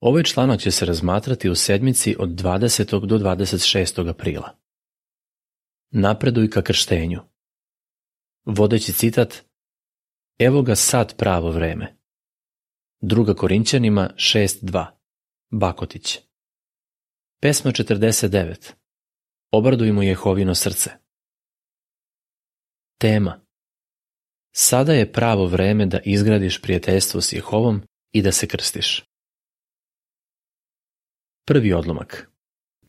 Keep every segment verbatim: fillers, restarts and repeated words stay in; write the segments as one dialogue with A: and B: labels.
A: Ovaj članak će se razmatrati u sedmici od dvadesetog do dvadeset šestog aprila. Napreduj ka krštenju. Vodeći citat: Evo ga sad pravo vreme. Druga Korinćanima šest dva. Bakotić. Pesma četrdeset devet. Obradujmo Jehovino srce. Tema: Sada je pravo vreme da izgradiš prijateljstvo s Jehovom i da se krstiš. Prvi odlomak.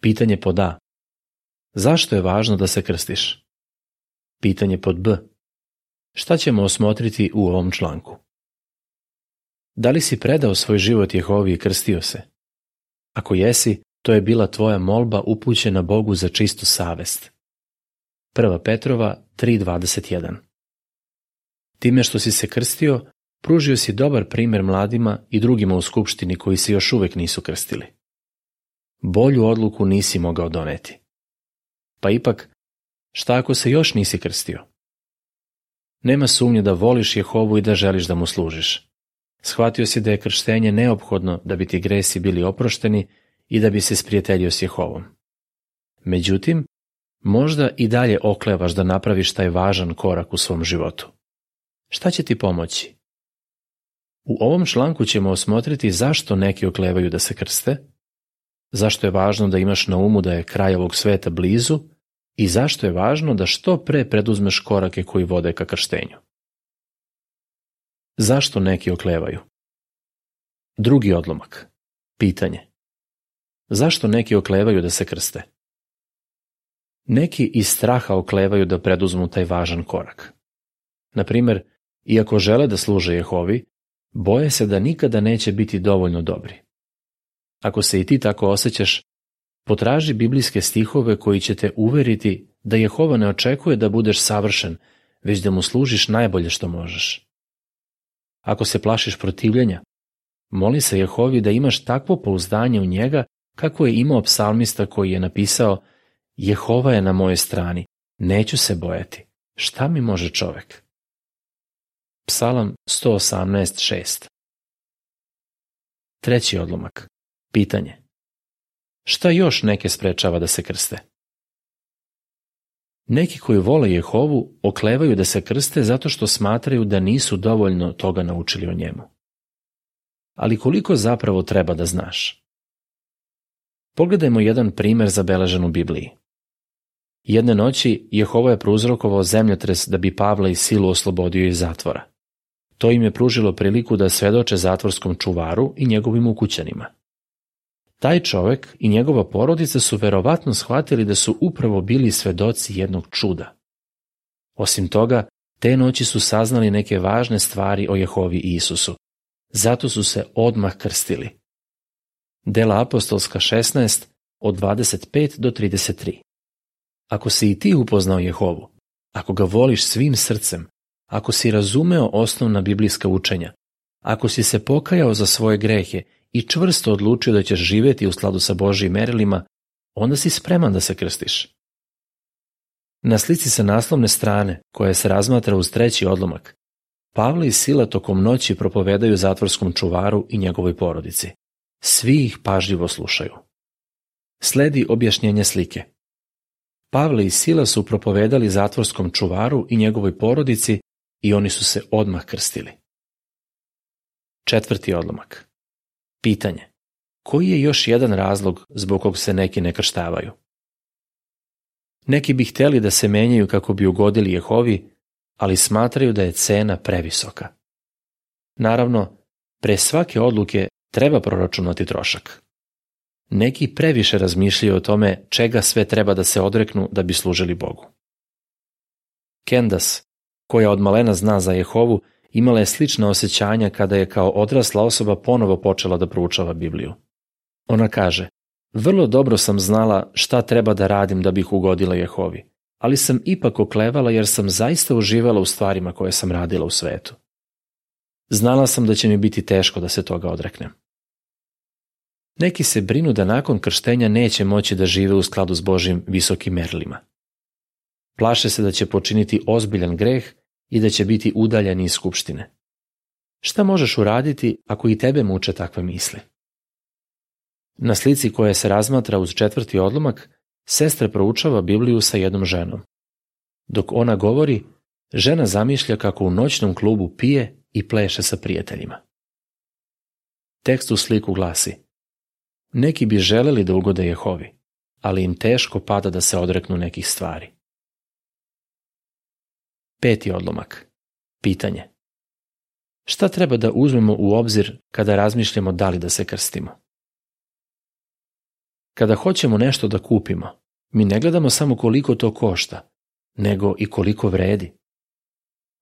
A: Pitanje pod A. Zašto je važno da se krstiš? Pitanje pod B. Šta ćemo osmotriti u ovom članku? Da li si predao svoj život Jehovi i krstio se? Ako jesi, to je bila tvoja molba upućena Bogu za čistu savest. Prva Petrova tri dvadeset jedan. Time što si se krstio, pružio si dobar primjer mladima i drugima u skupštini koji se još uvek nisu krstili. Bolju odluku nisi mogao doneti. Pa ipak, šta ako se još nisi krstio? Nema sumnje da voliš Jehovu i da želiš da mu služiš. Shvatio si da je krštenje neophodno da bi ti gresi bili oprošteni i da bi se sprijateljio s Jehovom. Međutim, možda i dalje oklevaš da napraviš taj važan korak u svom životu. Šta će ti pomoći? U ovom članku ćemo osmotriti zašto neki oklevaju da se krste, zašto je važno da imaš na umu da je kraj ovog sveta blizu i zašto je važno da što pre preduzmeš korake koji vode ka krštenju. Zašto neki oklevaju? Drugi odlomak. Pitanje. Zašto neki oklevaju da se krste? Neki iz straha oklevaju da preduzmu taj važan korak. Na primjer, iako žele da služe Jehovi, boje se da nikada neće biti dovoljno dobri. Ako se i ti tako osjećaš, potraži biblijske stihove koji će te uveriti da Jehova ne očekuje da budeš savršen, već da mu služiš najbolje što možeš. Ako se plašiš protivljenja, moli se Jehovi da imaš takvo pouzdanje u njega kako je imao psalmista koji je napisao: Jehova je na mojoj strani, neću se bojati, šta mi može čovek? Psalam sto osamnaest šest. Treći odlomak. Pitanje. Šta još neke sprečava da se krste? Neki koji vole Jehovu oklevaju da se krste zato što smatraju da nisu dovoljno toga naučili o njemu. Ali koliko zapravo treba da znaš? Pogledajmo jedan primer zabeležen u Bibliji. Jedne noći Jehova je prouzrokovao zemljotres da bi Pavla i Silu oslobodio iz zatvora. To im je pružilo priliku da svedoče zatvorskom čuvaru i njegovim ukućanima. Taj čovek i njegova porodica su verovatno shvatili da su upravo bili svedoci jednog čuda. Osim toga, te noći su saznali neke važne stvari o Jehovi i Isusu. Zato su se odmah krstili. Dela apostolska šesnaest od dvadeset pet do trideset tri. Ako si i ti upoznao Jehovu, ako ga voliš svim srcem, ako si razumeo osnovna biblijska učenja, ako si se pokajao za svoje grehe i čvrsto odlučio da ćeš živjeti u skladu sa Božjim merilima, onda si spreman da se krstiš. Na slici sa naslovne strane, koja se razmatra uz treći odlomak, Pavle i Sila tokom noći propovedaju zatvorskom čuvaru i njegovoj porodici. Svi ih pažljivo slušaju. Sledi objašnjenje slike. Pavle i Sila su propovedali zatvorskom čuvaru i njegovoj porodici i oni su se odmah krstili. Četvrti odlomak. Pitanje. Koji je još jedan razlog zbog kog se neki ne krštavaju? Neki bi htjeli da se menjaju kako bi ugodili Jehovi, ali smatraju da je cena previsoka. Naravno, pre svake odluke treba proračunati trošak. Neki previše razmišljaju o tome čega sve treba da se odreknu da bi služili Bogu. Candace, koja od malena zna za Jehovu, imala je slična osjećanja kada je kao odrasla osoba ponovo počela da proučava Bibliju. Ona kaže: vrlo dobro sam znala šta treba da radim da bih ugodila Jehovi, ali sam ipak oklevala jer sam zaista uživala u stvarima koje sam radila u svetu. Znala sam da će mi biti teško da se toga odreknem. Neki se brinu da nakon krštenja neće moći da žive u skladu s Božjim visokim merilima. Plaše se da će počiniti ozbiljan greh i da će biti udaljeni iz skupštine. Šta možeš uraditi ako i tebe muče takve misli? Na slici koja se razmatra uz četvrti odlomak, sestra proučava Bibliju sa jednom ženom. Dok ona govori, žena zamišlja kako u noćnom klubu pije i pleše sa prijateljima. Tekst u sliku glasi: neki bi želeli da ugode Jehovi, ali im teško pada da se odreknu nekih stvari. Peti odlomak. Pitanje. Šta treba da uzmemo u obzir kada razmišljamo da li da se krstimo? Kada hoćemo nešto da kupimo, mi ne gledamo samo koliko to košta, nego i koliko vredi.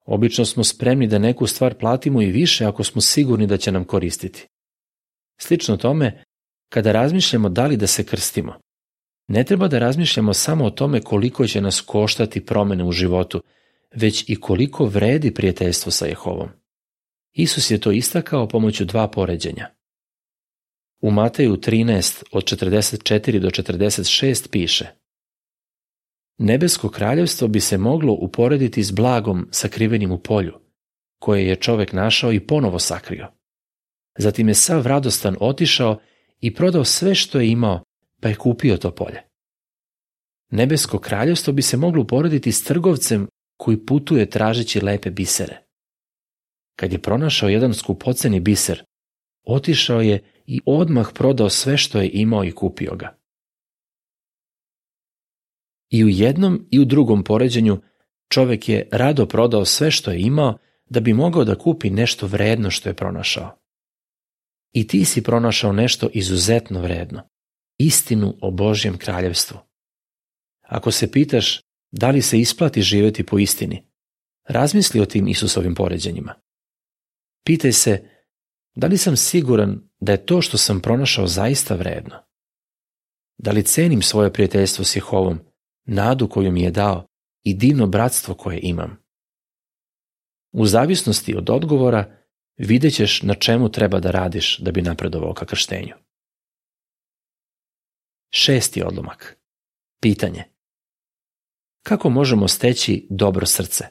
A: Obično smo spremni da neku stvar platimo i više ako smo sigurni da će nam koristiti. Slično tome, kada razmišljamo da li da se krstimo, ne treba da razmišljamo samo o tome koliko će nas koštati promene u životu, već i koliko vredi prijateljstvo sa Jehovom. Isus je to istakao pomoću dva poređenja. U Mateju trinaest od četrdeset četiri do četrdeset šest piše: nebesko kraljevstvo bi se moglo uporediti s blagom sakrivenim u polju, koje je čovek našao i ponovo sakrio. Zatim je sav radostan otišao i prodao sve što je imao, pa je kupio to polje. Nebesko kraljevstvo bi se moglo uporediti s trgovcem koji putuje tražeći lepe bisere. Kad je pronašao jedan skupoceni biser, otišao je i odmah prodao sve što je imao i kupio ga. I u jednom i u drugom poređenju čovek je rado prodao sve što je imao da bi mogao da kupi nešto vredno što je pronašao. I ti si pronašao nešto izuzetno vredno, istinu o Božjem kraljevstvu. Ako se pitaš da li se isplati živjeti po istini, razmisli o tim Isusovim poređenjima. Pitaj se, da li sam siguran da je to što sam pronašao zaista vredno? Da li cenim svoje prijateljstvo s Jehovom, nadu koju mi je dao i divno bratstvo koje imam? U zavisnosti od odgovora vidjet ćeš na čemu treba da radiš da bi napredovao ka krštenju. Šesti odlomak. Pitanje. Kako možemo steći dobro srce?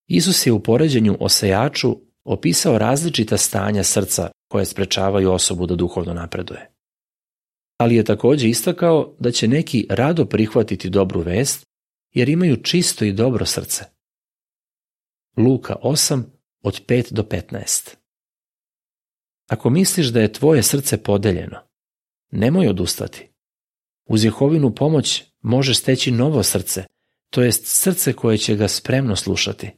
A: Isus je u poređenju o sejaču opisao različita stanja srca koje sprečavaju osobu da duhovno napreduje. Ali je također istakao da će neki rado prihvatiti dobru vest jer imaju čisto i dobro srce. Luka osam od pet do petnaest. Ako misliš da je tvoje srce podeljeno, nemoj odustati. Uz Jehovinu pomoć možeš steći novo srce, to jest srce koje će ga spremno slušati.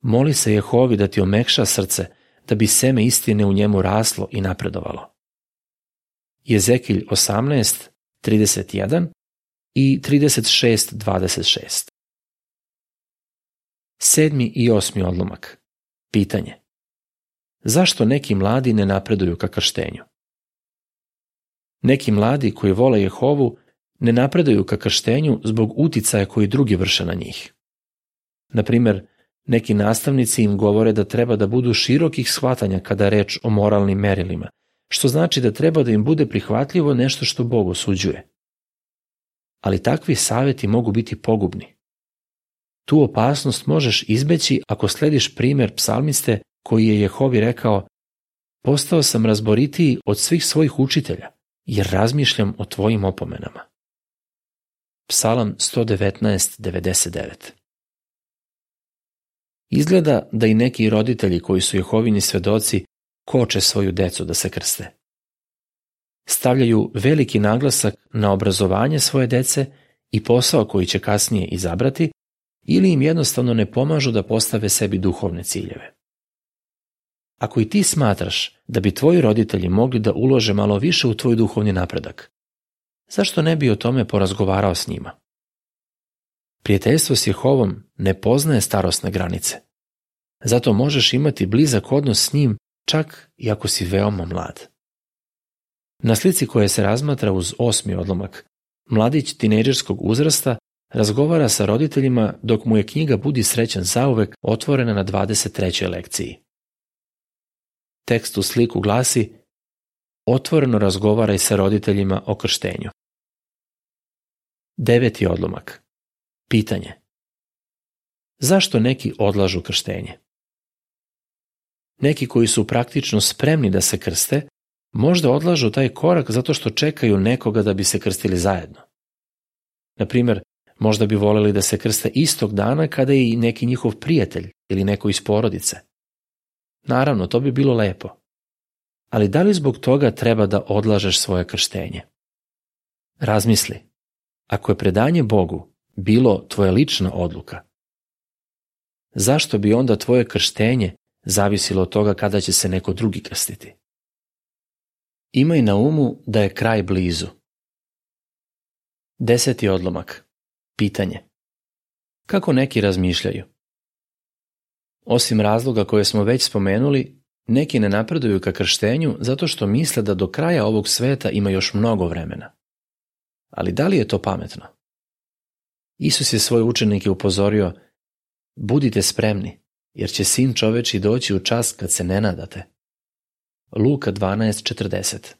A: Moli se Jehovi da ti omekša srce, da bi seme istine u njemu raslo i napredovalo. Jezekilj osamnaest, trideset jedan i trideset šest, dvadeset šest. Sedmi i osmi odlomak. Pitanje. Zašto neki mladi ne napreduju ka krštenju? Neki mladi koji vole Jehovu ne napreduju ka krštenju zbog uticaja koji drugi vrše na njih. Na primjer, neki nastavnici im govore da treba da budu širokih shvatanja kada je reč o moralnim merilima, što znači da treba da im bude prihvatljivo nešto što Bog osuđuje. Ali takvi savjeti mogu biti pogubni. Tu opasnost možeš izbeći ako slediš primjer psalmiste koji je Jehovi rekao: postao sam razboritiji od svih svojih učitelja, jer razmišljam o tvojim opomenama. Psalam sto devetnaest, devedeset devet. Izgleda da i neki roditelji koji su Jehovini svedoci koče svoju decu da se krste. Stavljaju veliki naglasak na obrazovanje svoje dece i posao koji će kasnije izabrati, ili im jednostavno ne pomažu da postave sebi duhovne ciljeve. Ako i ti smatraš da bi tvoji roditelji mogli da ulože malo više u tvoj duhovni napredak, zašto ne bi o tome porazgovarao s njima? Prijateljstvo s Jehovom ne poznaje starosne granice. Zato možeš imati blizak odnos s njim čak i ako si veoma mlad. Na slici koja se razmatra uz osmi odlomak, mladić tinejdžerskog uzrasta razgovara sa roditeljima dok mu je knjiga Budi srećan zauvek otvorena na dvadeset trećoj lekciji. Tekst u sliku glasi: otvoreno razgovaraj sa roditeljima o krštenju. Deveti odlomak. Pitanje. Zašto neki odlažu krštenje? Neki koji su praktično spremni da se krste, Možda odlažu taj korak zato što čekaju nekoga da bi se krstili zajedno. Na primjer, možda bi voleli da se krste istog dana kada je i neki njihov prijatelj ili neko iz porodice. Naravno, to bi bilo lepo. Ali da li zbog toga treba da odlažeš svoje krštenje? Razmisli, ako je predanje Bogu bilo tvoja lična odluka, zašto bi onda tvoje krštenje zavisilo od toga kada će se neko drugi krstiti? Imaj na umu da je kraj blizu. Deseti odlomak. Pitanje. Kako neki razmišljaju? Osim razloga koje smo već spomenuli, neki ne napreduju ka krštenju zato što misle da do kraja ovog sveta ima još mnogo vremena. Ali da li je to pametno? Isus je svoje učenike upozorio: budite spremni, jer će Sin čoveči doći u čas kad se ne nadate. Luka dvanaest četrdeset.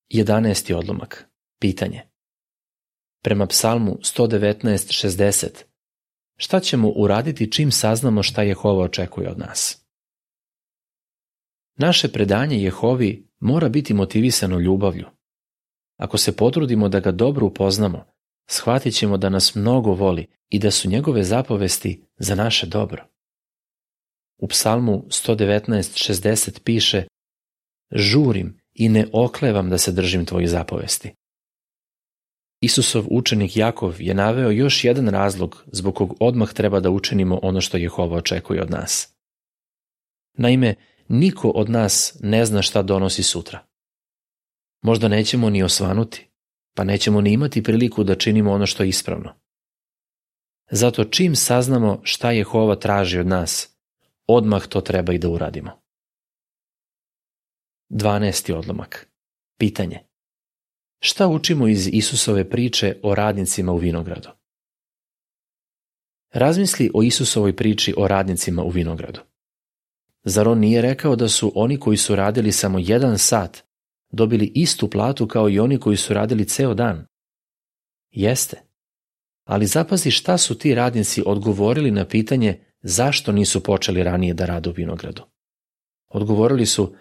A: Jedanaesti odlomak. Pitanje. Prema Psalmu sto devetnaest šezdeset, šta ćemo uraditi čim saznamo šta Jehova očekuje od nas? Naše predanje Jehovi mora biti motivisano ljubavlju. Ako se potrudimo da ga dobro upoznamo, shvatit ćemo da nas mnogo voli i da su njegove zapovesti za naše dobro. U Psalmu sto devetnaest šezdeset piše: žurim i ne oklevam da se držim tvojih zapovesti. Isusov učenik Jakov je naveo još jedan razlog zbog kog odmah treba da učinimo ono što Jehova očekuje od nas. Naime, niko od nas ne zna šta donosi sutra. Možda nećemo ni osvanuti, pa nećemo ni imati priliku da činimo ono što je ispravno. Zato čim saznamo šta Jehova traži od nas, odmah to treba i da uradimo. Dvanaesti odlomak. Pitanje. Šta učimo iz Isusove priče o radnicima u vinogradu? Razmisli o Isusovoj priči o radnicima u vinogradu. Zar on nije rekao da su oni koji su radili samo jedan sat dobili istu platu kao i oni koji su radili ceo dan? Jeste. Ali zapazi šta su ti radnici odgovorili na pitanje zašto nisu počeli ranije da rade u vinogradu. Odgovorili su: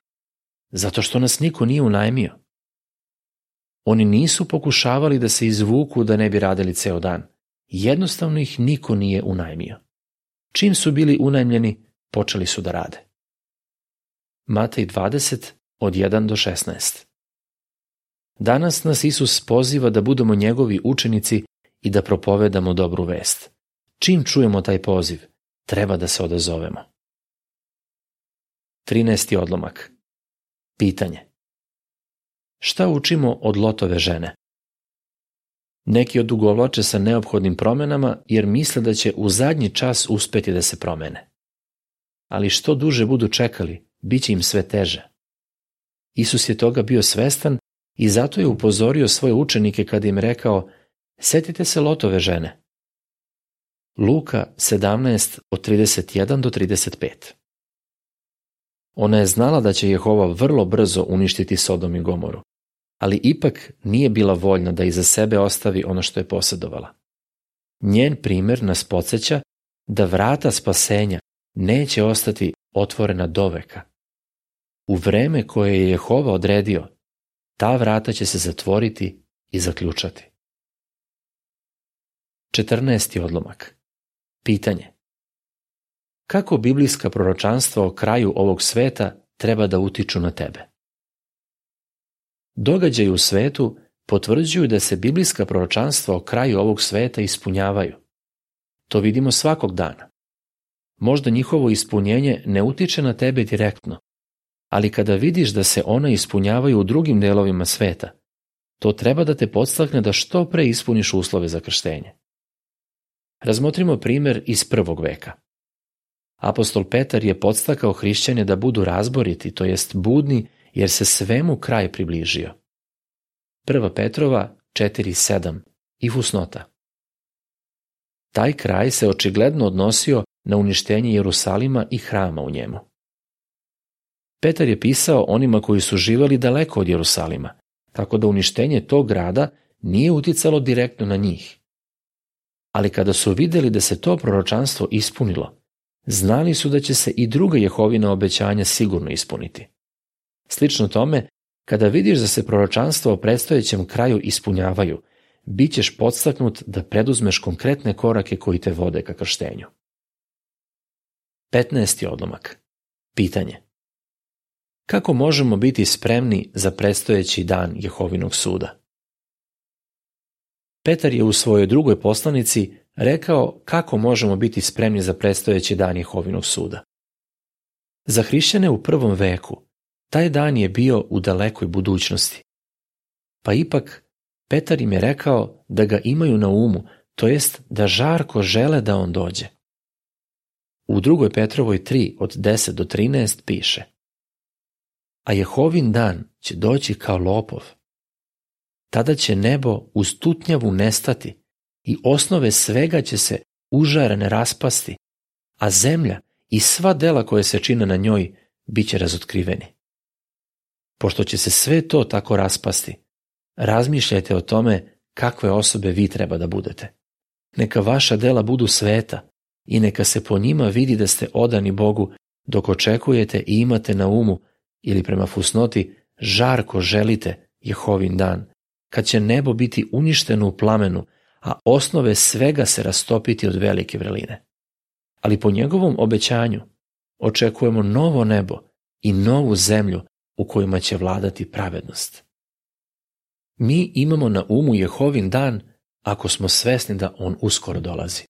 A: zato što nas niko nije unajmio. Oni nisu pokušavali da se izvuku da ne bi radili ceo dan. Jednostavno ih niko nije unajmio. Čim su bili unajmljeni, počeli su da rade. Matej dvadeset od jedan do šesnaest. Danas nas Isus poziva da budemo njegovi učenici i da propovedamo dobru vest. Čim čujemo taj poziv, treba da se odazovemo. Trinaesti odlomak. Pitanje. Šta učimo od Lotove žene? Neki odugovlače sa neophodnim promenama jer misle da će u zadnji čas uspeti da se promene. Ali što duže budu čekali, bit će im sve teže. Isus je toga bio svestan i zato je upozorio svoje učenike kada im rekao: setite se Lotove žene. Luka sedamnaest od trideset jedan do trideset pet. Ona je znala da će Jehova vrlo brzo uništiti Sodom i Gomoru, ali ipak nije bila voljna da iza sebe ostavi ono što je posjedovala. Njen primjer nas podsjeća da vrata spasenja neće ostati otvorena doveka. U vreme koje je Jehova odredio, ta vrata će se zatvoriti i zaključati. Četrnaesti odlomak. Pitanje. Kako biblijska proročanstva o kraju ovog sveta treba da utiču na tebe? Događaji u svetu potvrđuju da se biblijska proročanstva o kraju ovog sveta ispunjavaju. To vidimo svakog dana. Možda njihovo ispunjenje ne utiče na tebe direktno, ali kada vidiš da se ona ispunjavaju u drugim delovima sveta, to treba da te podstakne da što pre ispuniš uslove za krštenje. Razmotrimo primjer iz prvog veka. Apostol Petar je podstakao hrišćane da budu razboriti, to jest budni, jer se svemu kraj približio. Prva Petrova četiri sedam i fusnota. Taj kraj se očigledno odnosio na uništenje Jerusalima i hrama u njemu. Petar je pisao onima koji su živeli daleko od Jerusalima, tako da uništenje tog grada nije uticalo direktno na njih. Ali kada su vidjeli da se to proročanstvo ispunilo, znali su da će se i druga Jehovina obećanja sigurno ispuniti. Slično tome, kada vidiš da se proročanstva o predstojećem kraju ispunjavaju, bit ćeš podstaknut da preduzmeš konkretne korake koji te vode ka krštenju. petnaesti odlomak. Pitanje. Kako možemo biti spremni za predstojeći dan Jehovinog suda? Petar je u svojoj drugoj poslanici rekao kako možemo biti spremni za predstojeći dan Jehovinog suda. Za hrišćane u prvom veku taj dan je bio u dalekoj budućnosti. Pa ipak Petar im je rekao da ga imaju na umu, to jest da žarko žele da on dođe. U drugoj Petrovoj tri od deset do trinaest piše: A Jehovin dan će doći kao lopov. Tada će nebo uz tutnjavu nestati i osnove svega će se užarene raspasti, a zemlja i sva dela koje se čine na njoj bit će razotkriveni. Pošto će se sve to tako raspasti, razmišljajte o tome kakve osobe vi treba da budete. Neka vaša dela budu sveta i neka se po njima vidi da ste odani Bogu dok očekujete i imate na umu, ili prema fusnoti, žarko želite Jehovin dan, kad će nebo biti uništeno u plamenu, a osnove svega se rastopiti od velike vrline. Ali po njegovom obećanju očekujemo novo nebo i novu zemlju u kojima će vladati pravednost. Mi imamo na umu Jehovin dan ako smo svesni da on uskoro dolazi,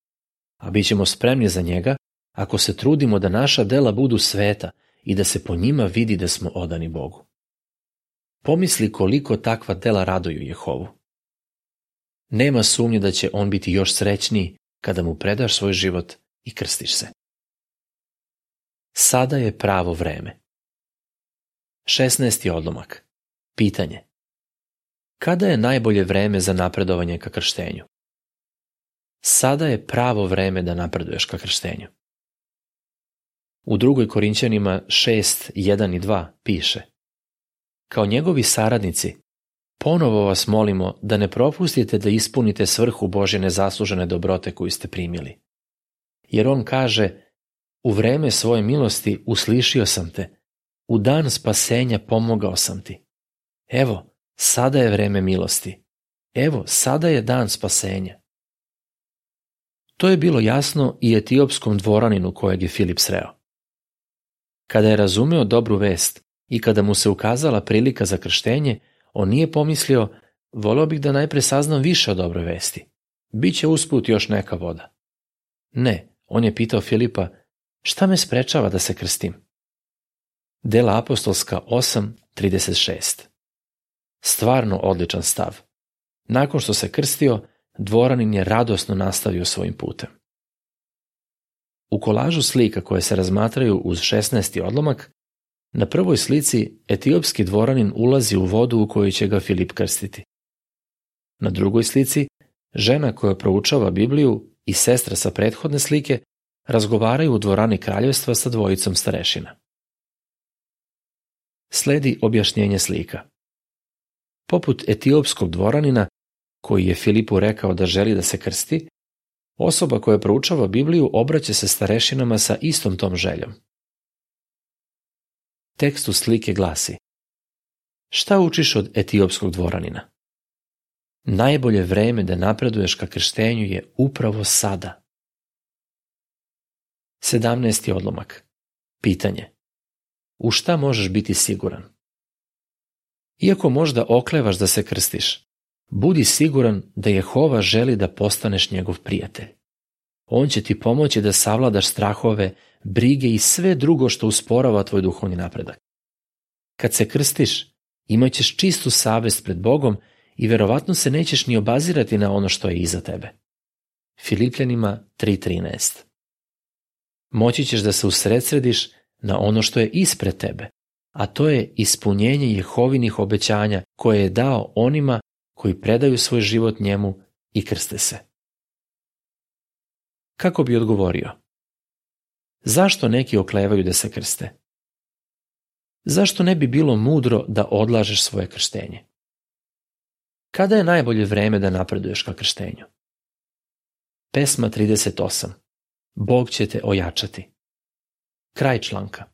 A: a bit ćemo spremni za njega ako se trudimo da naša dela budu sveta i da se po njima vidi da smo odani Bogu. Pomisli koliko takva dela raduju Jehovu. Nema sumnje da će on biti još srećniji kada mu predaš svoj život i krstiš se. Sada je pravo vreme. šesnaesti odlomak. Pitanje. Kada je najbolje vreme za napredovanje ka krštenju? Sada je pravo vreme da napreduješ ka krštenju. U drugoj Korinćanima šest, jedan i dva piše: Kao njegovi saradnici, ponovo vas molimo da ne propustite da ispunite svrhu Božje nezaslužene dobrote koju ste primili. Jer on kaže: U vreme svoje milosti uslišio sam te, u dan spasenja pomogao sam ti. Evo, sada je vreme milosti. Evo, sada je dan spasenja. To je bilo jasno i etiopskom dvoraninu kojeg je Filip sreo. Kada je razumeo dobru vest i kada mu se ukazala prilika za krštenje, on nije pomislio: voleo bih da najpre saznam više o dobroj vesti. Biće usput još neka voda. Ne, on je pitao Filipa: šta me sprečava da se krstim? Dela apostolska osam, trideset šest. Stvarno odličan stav. Nakon što se krstio, dvoranin je radosno nastavio svojim putem. U kolažu slika koje se razmatraju uz šesnaesti odlomak, na prvoj slici etiopski dvoranin ulazi u vodu u kojoj će ga Filip krstiti. Na drugoj slici, žena koja proučava Bibliju i sestra sa prethodne slike razgovaraju u dvorani kraljevstva sa dvojicom starešina. Sledi objašnjenje slika. Poput etiopskog dvoranina, koji je Filipu rekao da želi da se krsti, osoba koja proučava Bibliju obraća se starešinama sa istom tom željom. Tekst u slike glasi: šta učiš od etiopskog dvoranina? Najbolje vreme da napreduješ ka krštenju je upravo sada. sedamnaesti odlomak. Pitanje. U šta možeš biti siguran? Iako možda oklevaš da se krstiš, budi siguran da Jehova želi da postaneš njegov prijatelj. On će ti pomoći da savladaš strahove, brige i sve drugo što usporava tvoj duhovni napredak. Kad se krstiš, imat ćeš čistu savest pred Bogom i verovatno se nećeš ni obazirati na ono što je iza tebe. Filipljanima tri trinaest. Moći ćeš da se usredsrediš na ono što je ispred tebe, a to je ispunjenje Jehovinih obećanja koje je dao onima koji predaju svoj život njemu i krste se. Kako bi odgovorio? Zašto neki oklevaju da se krste? Zašto ne bi bilo mudro da odlažeš svoje krštenje? Kada je najbolje vreme da napreduješ ka krštenju? Pesma trideset osam. Bog će te ojačati. Kraj članka.